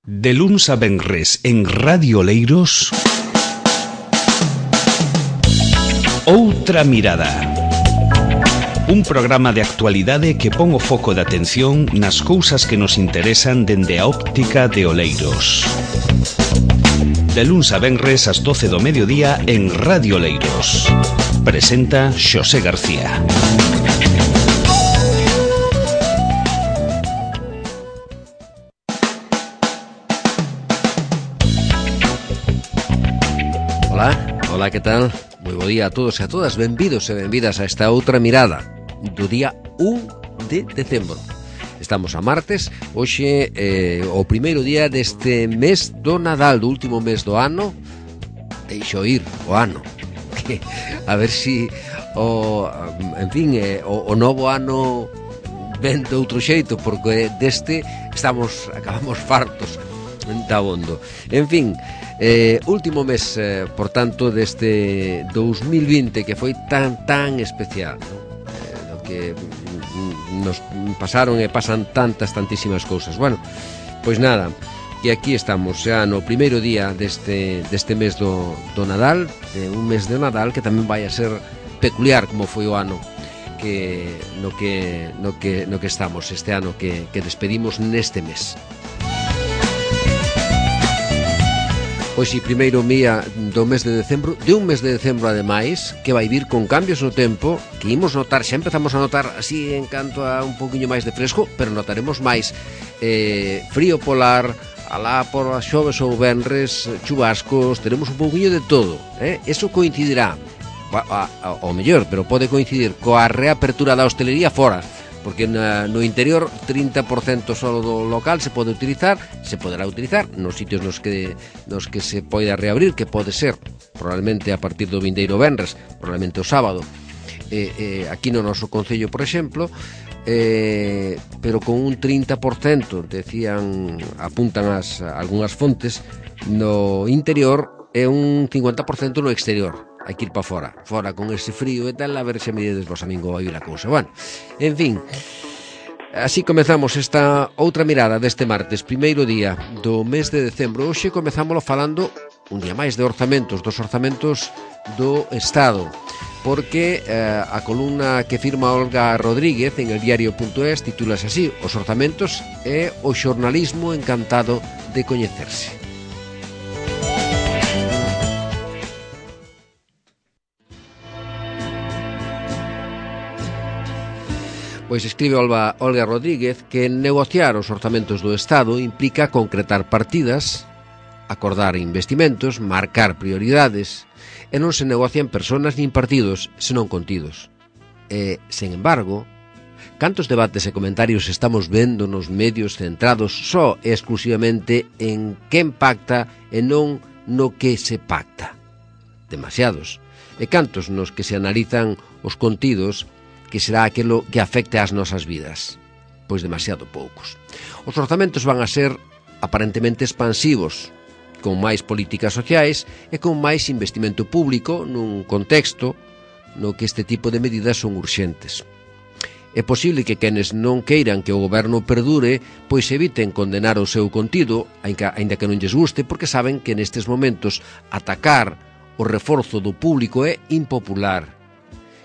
De luns a venres en Radio Oleiros, Outra Mirada. Un programa de actualidade que pon o foco de atención nas cousas que nos interesan dende a óptica de Oleiros. De luns a venres ás 12 do mediodía en Radio Oleiros. Presenta Xosé García. Ola, que tal? Moi bo día a todos e a todas, benvidos e benvidas a esta outra mirada do día 1 de decembro. Estamos a martes, hoxe o primeiro día deste mes do Nadal, do último mes do ano. Deixo ir o ano, a ver si o novo ano ven de outro xeito, porque deste acabamos fartos da bondo. En fin, último mes, por tanto, deste 2020 que foi tan especial, ¿no? No que nos pasaron e pasan tantísimas cousas. Bueno, pois nada, que aquí estamos xa no primeiro día deste mes do Nadal, de un mes de Nadal que tamén vai a ser peculiar como foi o ano no que estamos este ano que despedimos neste mes. Pois si, primeiro día do mes de decembro, de un mes de decembro ademais, que vai vir con cambios no tempo, que imos notar, xa empezamos a notar así en canto a un poquinho máis de fresco, pero notaremos máis frío polar, alá por as xoves ou venres, chubascos, teremos un poquinho de todo, eso coincidirá, ao mellor, pero pode coincidir coa reapertura da hostelería fora, porque no interior 30% só do local se poderá utilizar nos sitios nos que se poida reabrir, que pode ser probablemente a partir do vindeiro venres, probablemente o sábado, aquí no noso concello, por exemplo, pero con un 30%, apuntan algunhas fontes, no interior e un 50% no exterior. Hai que ir para fora con ese frío e tal, a ver se medides vos, amigo, vai vir a cousa. Bueno, en fin, así comezamos esta outra mirada deste martes, primeiro día do mes de decembro. Hoxe comezámoslo falando un día máis de orzamentos, dos orzamentos do Estado, porque a columna que firma Olga Rodríguez en el diario.es titúlase así: Os orzamentos e o xornalismo encantado de coñecerse. Pois escribe Olga Rodríguez que negociar os orzamentos do Estado implica concretar partidas, acordar investimentos, marcar prioridades, e non se negocian persoas nin partidos, senón contidos. E, sen embargo, cantos debates e comentarios estamos vendo nos medios centrados só e exclusivamente en quen pacta e non no que se pacta? Demasiados. E cantos nos que se analizan os contidos, que será aquilo que afecte ás nosas vidas? Pois demasiado poucos. Os orzamentos van a ser aparentemente expansivos, con máis políticas sociais e con máis investimento público nun contexto no que este tipo de medidas son urxentes. É posible que quenes non queiran que o goberno perdure pois eviten condenar o seu contido, aínda que non lles guste, porque saben que nestes momentos atacar o reforzo do público é impopular.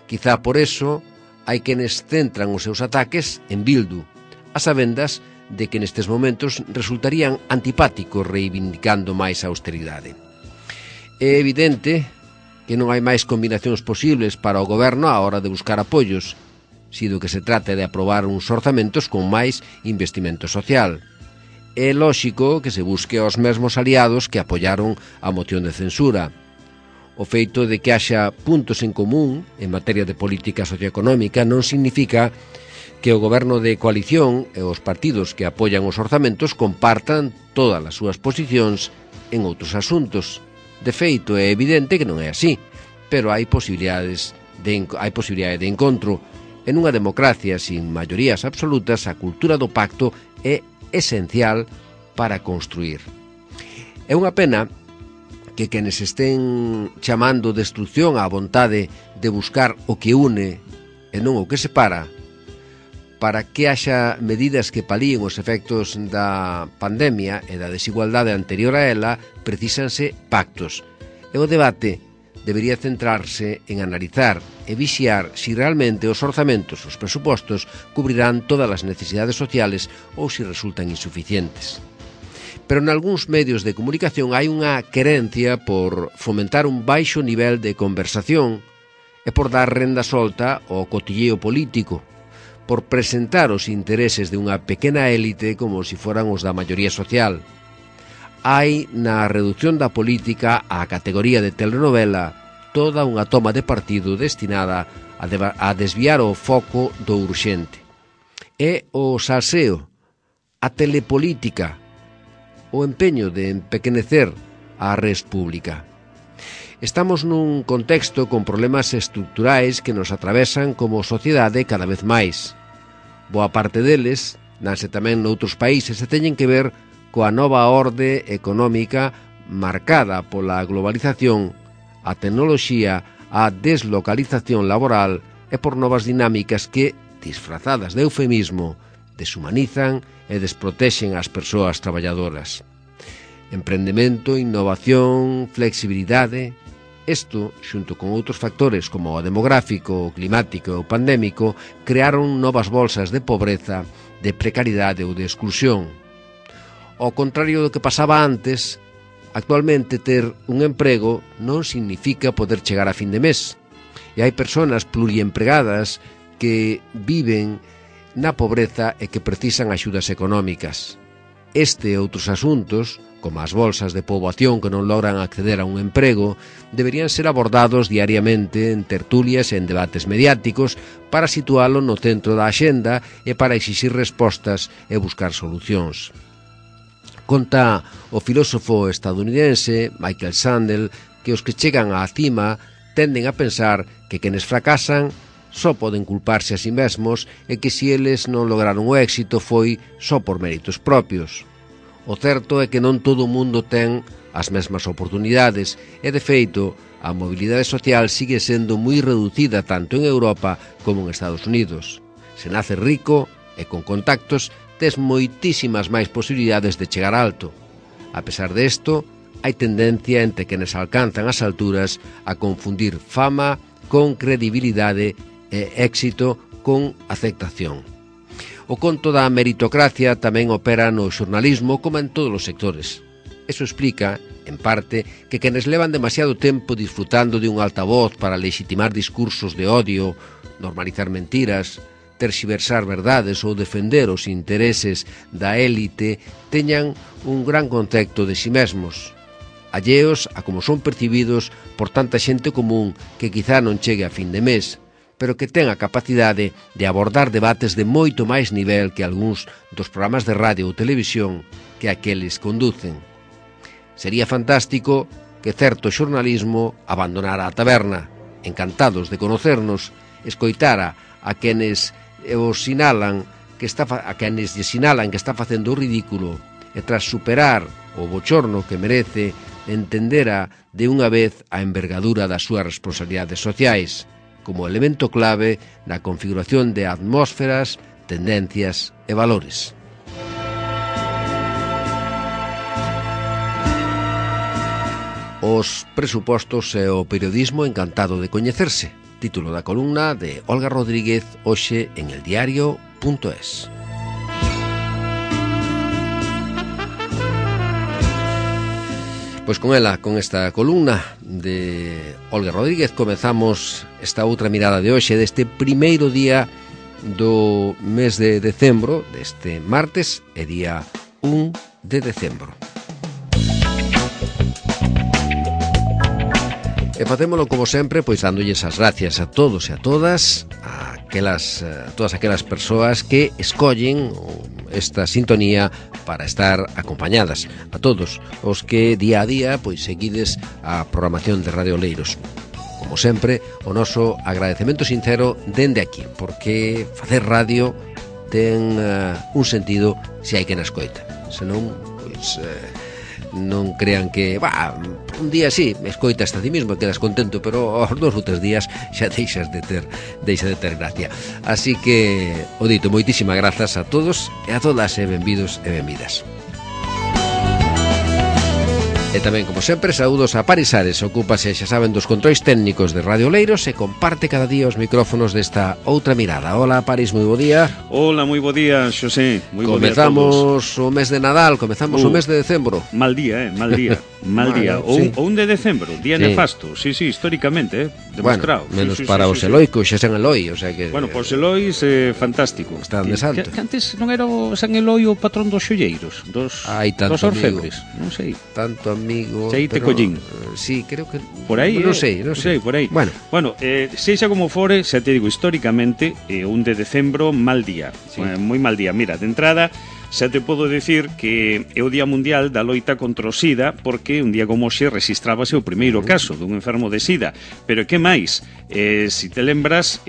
Quizá por eso hai quenes centran os seus ataques en Bildu, a sabendas de que nestes momentos resultarían antipáticos reivindicando máis a austeridade. É evidente que non hai máis combinacións posibles para o goberno á hora de buscar apoios, sido que se trate de aprobar uns orzamentos con máis investimento social. É lóxico que se busque aos mesmos aliados que apoiaron a moción de censura. O feito de que haxa puntos en común en materia de política socioeconómica non significa que o goberno de coalición e os partidos que apoian os orzamentos compartan todas as súas posicións en outros asuntos. De feito, é evidente que non é así, pero hai posibilidade de encontro. En unha democracia sin maiorías absolutas, a cultura do pacto é esencial para construir. É unha pena que quenes estén chamando destrucción á vontade de buscar o que une e non o que separa, para que haxa medidas que palíen os efectos da pandemia e da desigualdade anterior a ela, precísanse pactos. E o debate debería centrarse en analizar e vixiar si realmente os orzamentos, os presupostos, cubrirán todas as necesidades sociales ou si resultan insuficientes. Pero en algúns medios de comunicación hai unha querencia por fomentar un baixo nivel de conversación e por dar renda solta ao cotilleo político, por presentar os intereses de unha pequena élite como si foran os da maioría social. Hai na reducción da política á categoría de telenovela toda unha toma de partido destinada a desviar o foco do urxente. É o salseo, a telepolítica, o empeño de empequenecer a res pública. Estamos nun contexto con problemas estruturais que nos atravesan como sociedade cada vez máis. Boa parte deles, nanse tamén noutros países, se teñen que ver coa nova orde económica marcada pola globalización, a tecnoloxía, a deslocalización laboral e por novas dinámicas que, disfrazadas de eufemismo, deshumanizan e desprotexen as persoas traballadoras. Emprendemento, innovación, flexibilidade. Isto, xunto con outros factores como o demográfico, o climático e o pandémico, crearon novas bolsas de pobreza, de precariedade ou de exclusión. Ao contrario do que pasaba antes, actualmente ter un emprego non significa poder chegar a fin de mes. E hai persoas pluriempregadas que viven na pobreza e que precisan axudas económicas. Este e outros asuntos, como as bolsas de poboación que non logran acceder a un emprego, deberían ser abordados diariamente en tertulias e en debates mediáticos para situalo no centro da axenda e para exixir respostas e buscar solucións. Conta o filósofo estadounidense Michael Sandel que os que chegan á cima tenden a pensar que quenes fracasan só poden culparse a si mesmos e que se eles non lograron o éxito foi só por méritos propios. O certo é que non todo o mundo ten as mesmas oportunidades e, de feito, a mobilidade social sigue sendo moi reducida tanto en Europa como en Estados Unidos. Se nace rico e con contactos, tes moitísimas máis posibilidades de chegar alto. A pesar desto, hai tendencia entre quenes alcanzan as alturas a confundir fama con credibilidade e éxito con aceptación. O conto da meritocracia tamén opera no xornalismo como en todos os sectores. Eso explica, en parte, que quenes levan demasiado tempo disfrutando de un altavoz para legitimar discursos de odio, normalizar mentiras, terxiversar verdades ou defender os intereses da élite teñan un gran concepto de si mesmos, alleos a como son percibidos por tanta xente común que quizá non chegue a fin de mes, pero que ten a capacidade de abordar debates de moito máis nivel que algúns dos programas de radio ou televisión que aqueles conducen. Sería fantástico que certo xornalismo abandonara a taberna, encantados de conocernos, escoitara a quenes os sinalan que está facendo o ridículo e tras superar o bochorno que merece, entendera de unha vez a envergadura das súas responsabilidades sociais como elemento clave na configuración de atmósferas, tendencias e valores. Os presupostos e o periodismo encantado de coñecerse. Título da columna de Olga Rodríguez hoxe en eldiario.es. Pois con ela, con esta columna de Olga Rodríguez, comezamos esta outra mirada de hoxe deste primeiro día do mes de decembro, deste martes, e día 1 de decembro. E facémolo como sempre, pois dándolles as gracias a todos e a todas, todas aquelas persoas que escollen esta sintonía para estar acompañadas, a todos os que día a día pois seguides a programación de Radio Oleiros. Como sempre, o noso agradecemento sincero dende aquí, porque facer radio ten un sentido se hai quen a escoita. Senón, pois non crean que un día sí, escoitas a ti mismo, quedas contento, pero aos 2 ou 3 días xa deixa de ter gracia. Así que, o dito, moitísimas grazas a todos e a todas, e benvidos e benvidas. E tamén, como sempre, saúdos a Paris Ares, ocúpase, xa saben, dos controis técnicos de Radio Oleiros e comparte cada día os micrófonos desta outra mirada. Hola, Paris, moi bo día. Hola, moi bo día, Xosé. Moi bo día a todos. Comezamos o mes de Nadal, comezamos o mes de decembro. Mal día, mal día. Mal día. O 1 de decembro, día nefasto. Sí, históricamente, demostrado. Bueno, menos para os Eloi, que xa sen Eloi, o sea que... Bueno, para os Elois, fantástico. Están de santo. Que antes non era o San Eloi o patrón dos xolleiros, dos orfebres, non sei. Tanto amigo, Seite collín. Sí, creo que... Por aí, non sei. Por aí. Bueno, sexa como fore, xa te digo, históricamente, 1 de decembro, mal día. Sí. Moi mal día. Mira, de entrada, xa te podo dicir que é o Día Mundial da Loita contra o SIDA, porque un día como hoxe registrábase o primeiro caso dun enfermo de SIDA. Pero que máis? Si te lembras,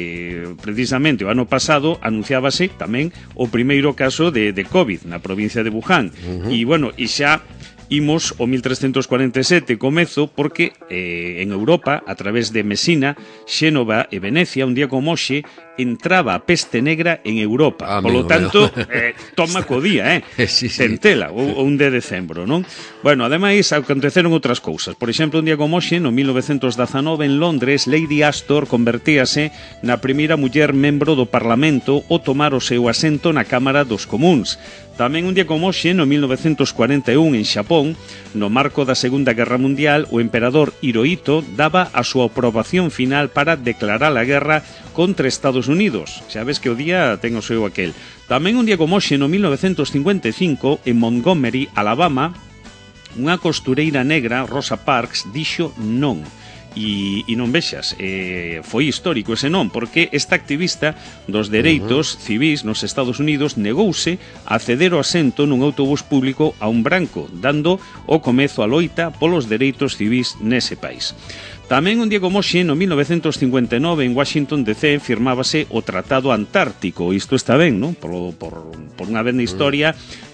precisamente o ano pasado anunciábase tamén o primeiro caso de COVID na provincia de Wuhan. E, bueno, e xa imos o 1347 comezo porque en Europa, a través de Mesina, Xénova e Venecia, un día como hoxe, entraba a peste negra en Europa. Polo tanto, toma co día, sí. Tentela, o 1 de decembro, non? Bueno, ademais, aconteceron outras cousas. Por exemplo, un día como hoxe, no 1919, en Londres, Lady Astor convertíase na primeira muller membro do Parlamento ao tomar o seu asento na Cámara dos Comuns. Tamén un día como hoxe, no 1941, en Xapón, no marco da Segunda Guerra Mundial, o emperador Hirohito daba a súa aprobación final para declarar a guerra contra Estados Unidos. Xa ves que o día ten o seu aquel. Tamén un día como hoxe, no 1955, en Montgomery, Alabama, unha costureira negra, Rosa Parks, dixo non. E non vexas, foi histórico ese non, porque esta activista dos dereitos civis nos Estados Unidos negouse a ceder o asento nun autobús público a un branco, dando o comezo a loita polos dereitos civis nese país. Tamén un día como hoxe, no 1959, en Washington DC, firmábase o Tratado Antártico. Isto está ben, non? Por unha vez na historia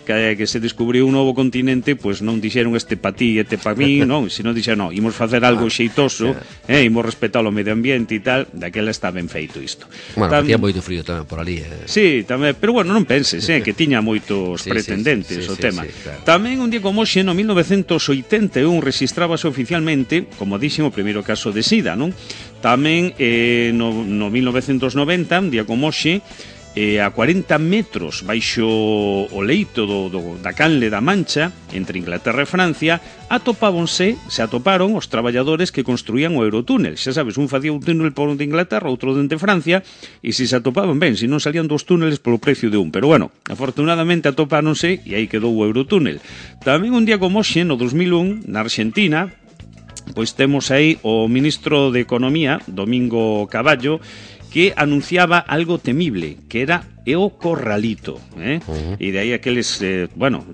que se descubriu un novo continente, pois non dixeron este pa ti e este pa mí, non? Senón dixeron, non, imos facer algo xeitoso, imos respetar o medio ambiente e tal, daquela está ben feito isto. Bueno, facía moito frío tamén por ali. Sí, tamén, pero bueno, non penses, que tiña moitos pretendentes o tema. Claro. Tamén un día como hoxe, no 1981, registrábase oficialmente, como dixen, o primeiro caso de SIDA, non? Tamén no 1990, un día como hoxe, a 40 metros baixo o leito da canle da Mancha, entre Inglaterra e Francia, se atoparon os traballadores que construían o Eurotúnel. Xa sabes, un facía un túnel por onde Inglaterra, outro dende Francia, e se atopaban ben, se non salían dos túneles polo precio de un. Pero bueno, afortunadamente atopáronse e aí quedou o Eurotúnel. Tamén un día como hoxe, no 2001, na Argentina, pois temos aí o ministro de Economía, Domingo Cavallo, que anunciaba algo temible, que era o corralito, e de aí aqueles,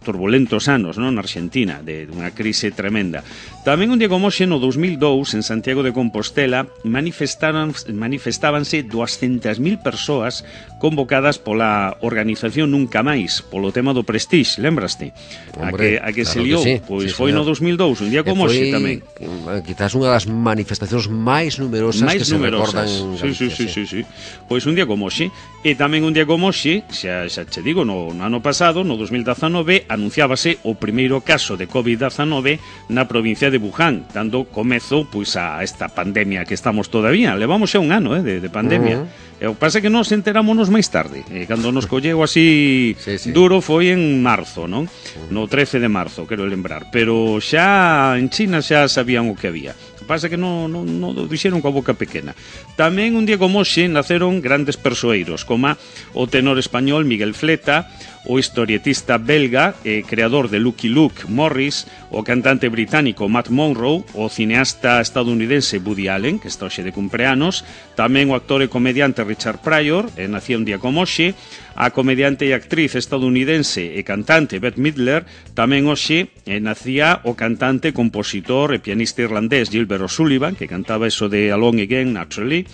turbulentos anos, non, na Argentina, de unha crise tremenda. Tamén un día como hoxe, no 2002, en Santiago de Compostela, manifestábanse 200.000 persoas convocadas pola organización Nunca Máis, polo tema do Prestige, lembraste? Hombre, a que se liou, sí, pois foi no 2002, un día como hoxe tamén. Quizás unha das manifestacións máis numerosas que se recordan. Sí. Pois un día como hoxe, e tamén un día como hoxe, xa che digo, no ano pasado, no 2019, anunciábase o primeiro caso de COVID-19 na provincia de Wuhan, dando comezo pois a esta pandemia que estamos todavía. Levamos xa un ano de pandemia. O que pasa é que nos enterámonos máis tarde. Cando nos colleu así duro foi en marzo, non? No 13 de marzo, quero lembrar. Pero xa en China xa sabían o que había. Pasa que non o dixeron coa boca pequena. Tamén un día como hoxe naceron grandes persoeiros, como o tenor español Miguel Fleta, o historietista belga e creador de Lucky Luke Morris, o cantante británico Matt Monro, o cineasta estadounidense Woody Allen, que está hoxe de cumpleanos, tamén o actor e comediante Richard Pryor, nacía un día como hoxe, a comediante e actriz estadounidense e cantante Bette Midler, tamén hoxe nacía o cantante, compositor e pianista irlandés Gilbert O'Sullivan, que cantaba eso de Alone Again, Naturally.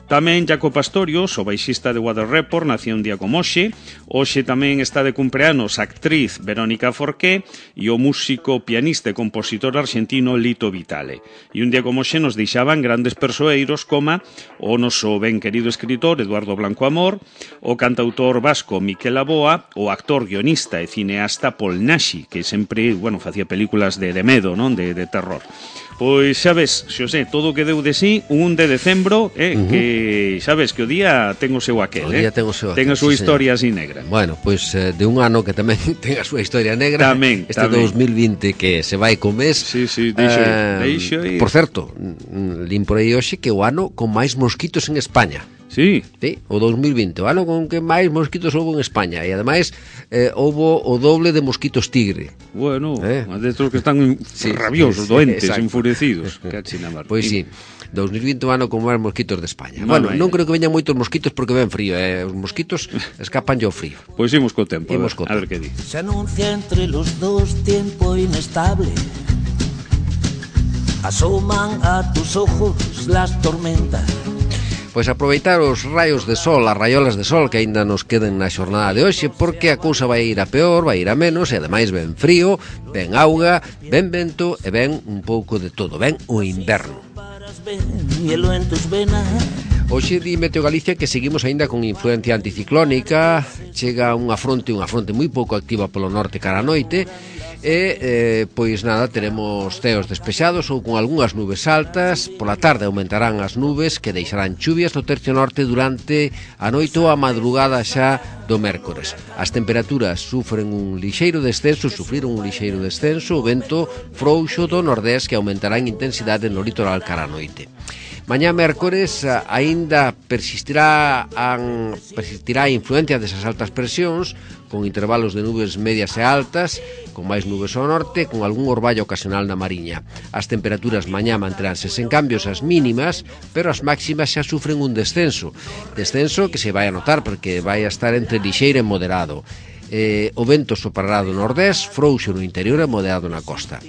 Tamén Jaco Pastorius, o baixista de Weather Report, nació un día como hoxe. Hoxe tamén está de cumpleanos a actriz Verónica Forqué e o músico, pianista e compositor argentino Lito Vitale. E un día como hoxe nos deixaban grandes persoeiros como o noso ben querido escritor Eduardo Blanco Amor, o cantautor vasco Miquel Aboa, o actor, guionista e cineasta Paul Nashi, que sempre, facía películas de medo, non? De terror. Pois xa ves, Xosé, todo o que deu de sí un 1 de decembro, que xa ves que o día ten o seu aquel, o día ten o seu aquel, ten a súa historia así negra. Bueno, pois de un ano que tamén ten a súa historia negra, tamén, este 2020 que se vai co mes. Sí, deixo ir. Por certo, lin por aí hoxe que o ano con máis mosquitos en España. Sí, o 2020, o ano con que máis mosquitos houve en España, e ademais houve o doble de mosquitos tigre. Bueno, destos que están rabiosos, doentes, enfurecidos. Pois sí, 2020 o ano con máis mosquitos de España. Bueno, non creo que veñan moitos mosquitos porque ven frío, os mosquitos escapan yo frío. Pois imos co tempo, a ver que di. Se anuncia entre los dos tiempo inestable, asoman a tus ojos las tormentas. Pois aproveitar os raios de sol, as raiolas de sol que aínda nos queden na xornada de hoxe, porque a cousa vai ir a peor, vai ir a menos, e ademais ven frío, ven auga, ven vento e ven un pouco de todo, ven o inverno. Hoxe di Meteo Galicia que seguimos aínda con influencia anticiclónica, chega unha fronte moi pouco activa polo norte cara a noite, e pois nada, teremos ceos despexados ou con algunhas nubes altas. Pola tarde aumentarán as nubes que deixarán chuvias no tercio norte durante a noite ou a madrugada xa do mércores. As temperaturas sufriron un lixeiro descenso, o vento frouxo do nordés que aumentará en intensidade no litoral cara a noite. Mañá mércores aínda persistirá a influencia desas altas presións, con intervalos de nubes medias e altas, con máis nubes ao norte, con algún orballo ocasional na Mariña. As temperaturas mañá manteránse sen cambios as mínimas, pero as máximas xa sufren un descenso que se vai a notar porque vai a estar entre lixeiro e moderado. O vento soprará do nordés, frouxo no interior e moderado na costa.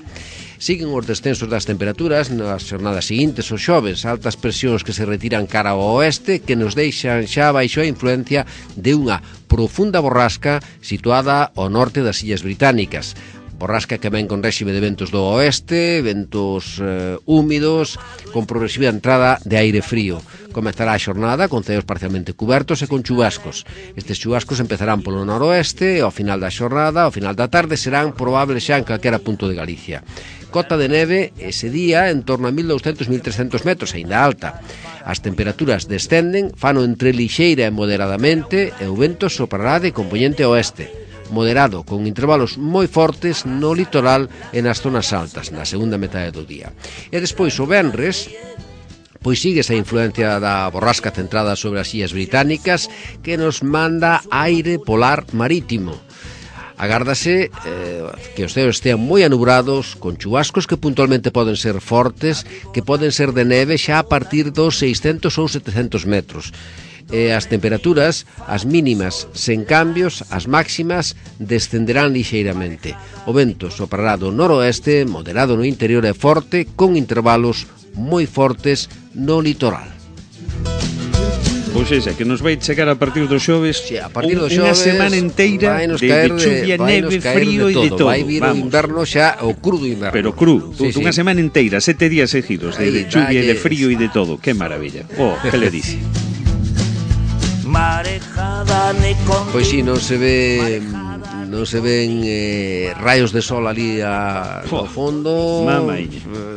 Siguen os descensos das temperaturas nas xornadas seguintes, os xoves, altas presións que se retiran cara ao oeste, que nos deixan xa baixo a influencia de unha profunda borrasca situada ao norte das Illas Británicas. Borrasca que ven con réxime de ventos do oeste, ventos húmidos, con progresiva entrada de aire frío. Comezará a xornada con ceos parcialmente cubertos e con chubascos. Estes chubascos empezarán polo noroeste e ao final da xornada, ao final da tarde, serán probables xa en calquera punto de Galicia. Cota de neve ese día en torno a 1.200-1.300 metros, aínda alta. As temperaturas descenden, fano entre lixeira e moderadamente, e o vento soprará de compoñente oeste, moderado, con intervalos moi fortes no litoral e nas zonas altas, na segunda metade do día. E despois o venres, pois sigue esa influencia da borrasca centrada sobre as Illas Británicas que nos manda aire polar marítimo. Agárdase que os ceos estean moi anubrados, con chubascos que puntualmente poden ser fortes, que poden ser de neve xa a partir dos 600 ou 700 metros. As temperaturas, as mínimas sen cambios, as máximas descenderán lixeiramente. O vento soprará do noroeste, moderado no interior e forte, con intervalos moi fortes no litoral. Pois é, que nos vai chegar a partir dos xoves, a partir dos unha xoves, semana inteira de chuvia, neve, frío e de todo. Vai vir o inverno xa, o crudo inverno. Pero cru, unha semana inteira, 7 días seguidos de chuvia e de frío e de todo. Que maravilla. Que le dice? Pois si, non se ven rayos de sol ali ao fondo.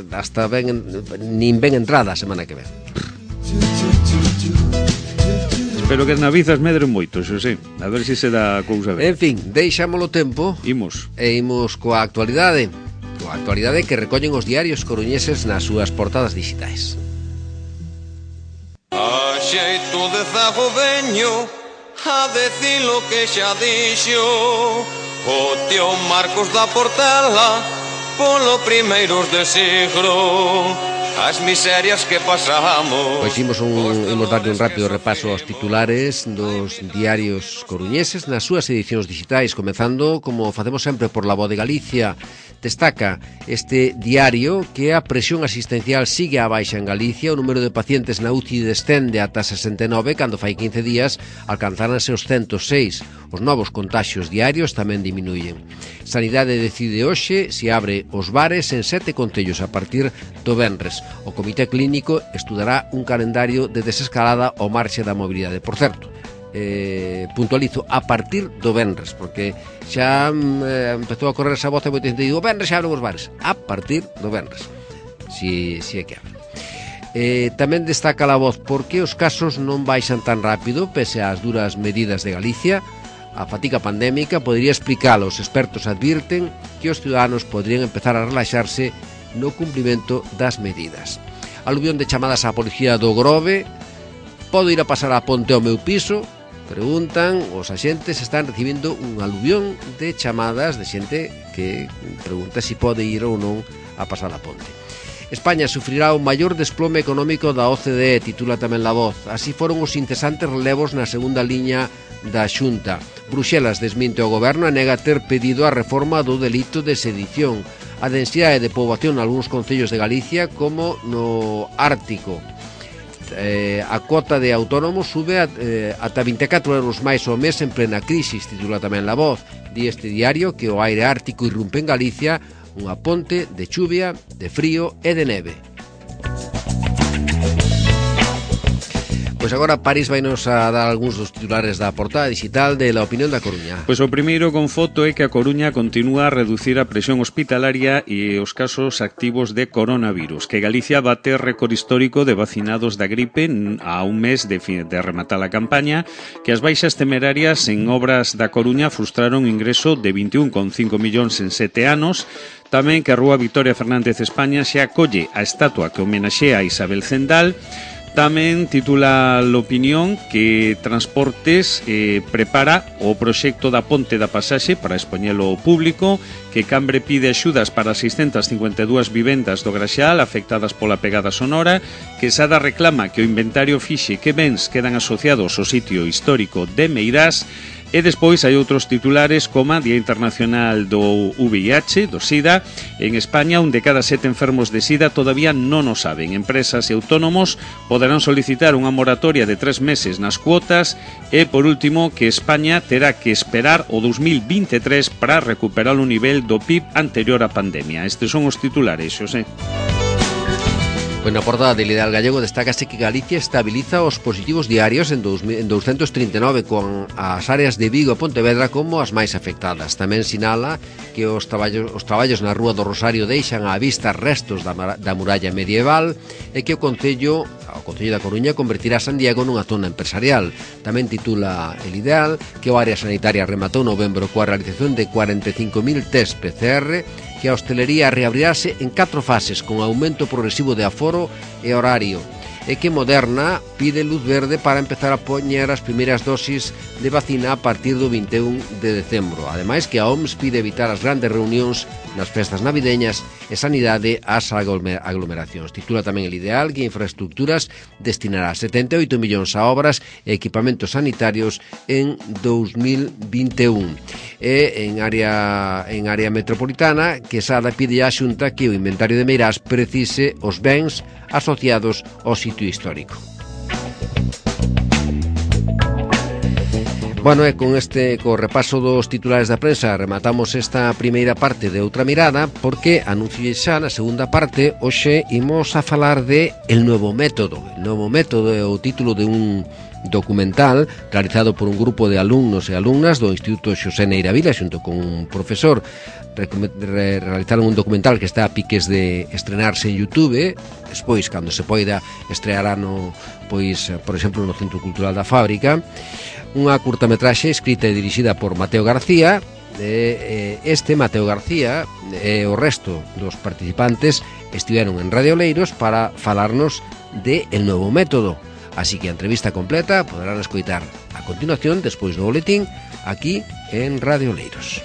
Hasta nin ven entrada a semana que ven. Espero que as navizas medren moito, Xosé. A ver se dá a cousa ben. En fin, deixámolo tempo. Imos coa actualidade. Coa actualidade que recollen os diarios coruñeses nas súas portadas digitais. A xeito de zago veño a decir lo que xa dixo o tío Marcos da Portela polo primeiros de siglo. As miserias que pasamos. Pois imos darle un rápido repaso aos titulares dos diarios coruñeses nas súas edicións digitais, comezando, como facemos sempre, por La Voz de Galicia, Destaca este diario que a presión asistencial sigue á baixa en Galicia, o número de pacientes na UCI descende ata 69, cando fai 15 días alcanzáranse os 106. Os novos contaxios diarios tamén diminuyen. Sanidade decide hoxe se abre os bares en 7 concellos a partir do venres. O Comité Clínico estudará un calendario de desescalada ao marxe da mobilidade. Por certo, puntualizo, a partir do venres, porque xa empezou a correr esa voz e moita xente digo, o venres xa abren os bares. A partir do venres, si é que abren. Tamén destaca a voz porque os casos non baixan tan rápido pese ás duras medidas de Galicia. A fatiga pandémica podería explicalo. Os expertos advirten que os ciudadanos poderían empezar a relaxarse no cumprimento das medidas. Aluvión de chamadas á policía do Grove. Podo ir a pasar a ponte ao meu piso? Preguntan, os axentes están recibindo un aluvión de chamadas de xente que pregunta se pode ir ou non a pasar a ponte. España sufrirá o maior desplome económico da OCDE, titula tamén La Voz. Así foron os incesantes relevos na segunda liña da Xunta. Bruxelas desminte o goberno e nega ter pedido a reforma do delito de sedición. A densidade de poboación nalgúns concellos de Galicia como no Ártico. A cuota de autónomos sube ata 24 euros máis ao mes en plena crisis, titula tamén La Voz. Di este diario que o aire ártico irrumpe en Galicia, unha ponte de chuvia, de frío e de neve. Pois agora París vainos a dar algúns dos titulares da portada digital de La Opinión da Coruña. Pois o primeiro con foto é que a Coruña continúa a reducir a presión hospitalaria e os casos activos de coronavirus, que Galicia bate récord histórico de vacinados da gripe a un mes de rematar a campaña, que as baixas temerarias en obras da Coruña frustraron o ingreso de 21,5 millóns en 7 anos, tamén que a Rúa Victoria Fernández España xa acolle a estatua que homenaxea a Isabel Zendal. Tamén titula l'opinión que Transportes prepara o proxecto da Ponte da Pasaxe para expoñelo ao público, que Cambre pide axudas para 652 vivendas do Graxal afectadas pola pegada sonora, que Sada reclama que o inventario fixe que bens quedan asociados ao sitio histórico de Meirás. E despois hai outros titulares como Día Internacional do VIH, do SIDA. En España, 1 de cada 7 enfermos de SIDA todavía non o saben. Empresas e autónomos poderán solicitar unha moratoria de 3 meses nas cuotas. E, por último, que España terá que esperar o 2023 para recuperar o nivel do PIB anterior á pandemia. Estes son os titulares, Xosé. Pois na portada del Ideal Gallego destácase que Galicia estabiliza os positivos diarios en 239, con as áreas de Vigo e Pontevedra como as máis afectadas. Tamén sinala que os traballos na Rúa do Rosario deixan á vista restos da muralla medieval e que o Concello da Coruña convertirá Santiago nunha zona empresarial. Tamén titula el Ideal que o área sanitaria rematou novembro coa realización de 45.000 test PCR, que a hostelería reabrirase en 4 fases con aumento progresivo de aforo e horario, e que Moderna pide luz verde para empezar a poñer as primeiras dosis de vacina a partir do 21 de decembro. Ademais, que a OMS pide evitar as grandes reunións nas festas navideñas e sanidade ás aglomeracións. Titula tamén el Ideal que Infraestructuras destinará 78 millóns a obras e equipamentos sanitarios en 2021. E en área metropolitana, que Sada pide á Xunta que o inventario de Meirás precise os bens asociados ao sitio histórico. Bueno, e con co repaso dos titulares da prensa rematamos esta primeira parte de Outra Mirada, porque anuncio xa na segunda parte. Hoxe imos a falar de El Nuevo Método. El Nuevo Método é o título de un documental realizado por un grupo de alumnos e alumnas do Instituto Xosé Neira Vila xunto con un profesor. Realizaron un documental que está a piques de estrenarse en YouTube. Despois, cando se poida, estreará por exemplo, no Centro Cultural da Fábrica. Unha curtametraxe escrita e dirixida por Mateo García. Mateo García e o resto dos participantes estiveron en Radio Oleiros para falarnos de El Nuevo Método. Así que a entrevista completa poderán escoitar a continuación, despois do boletín, aquí en Radio Oleiros.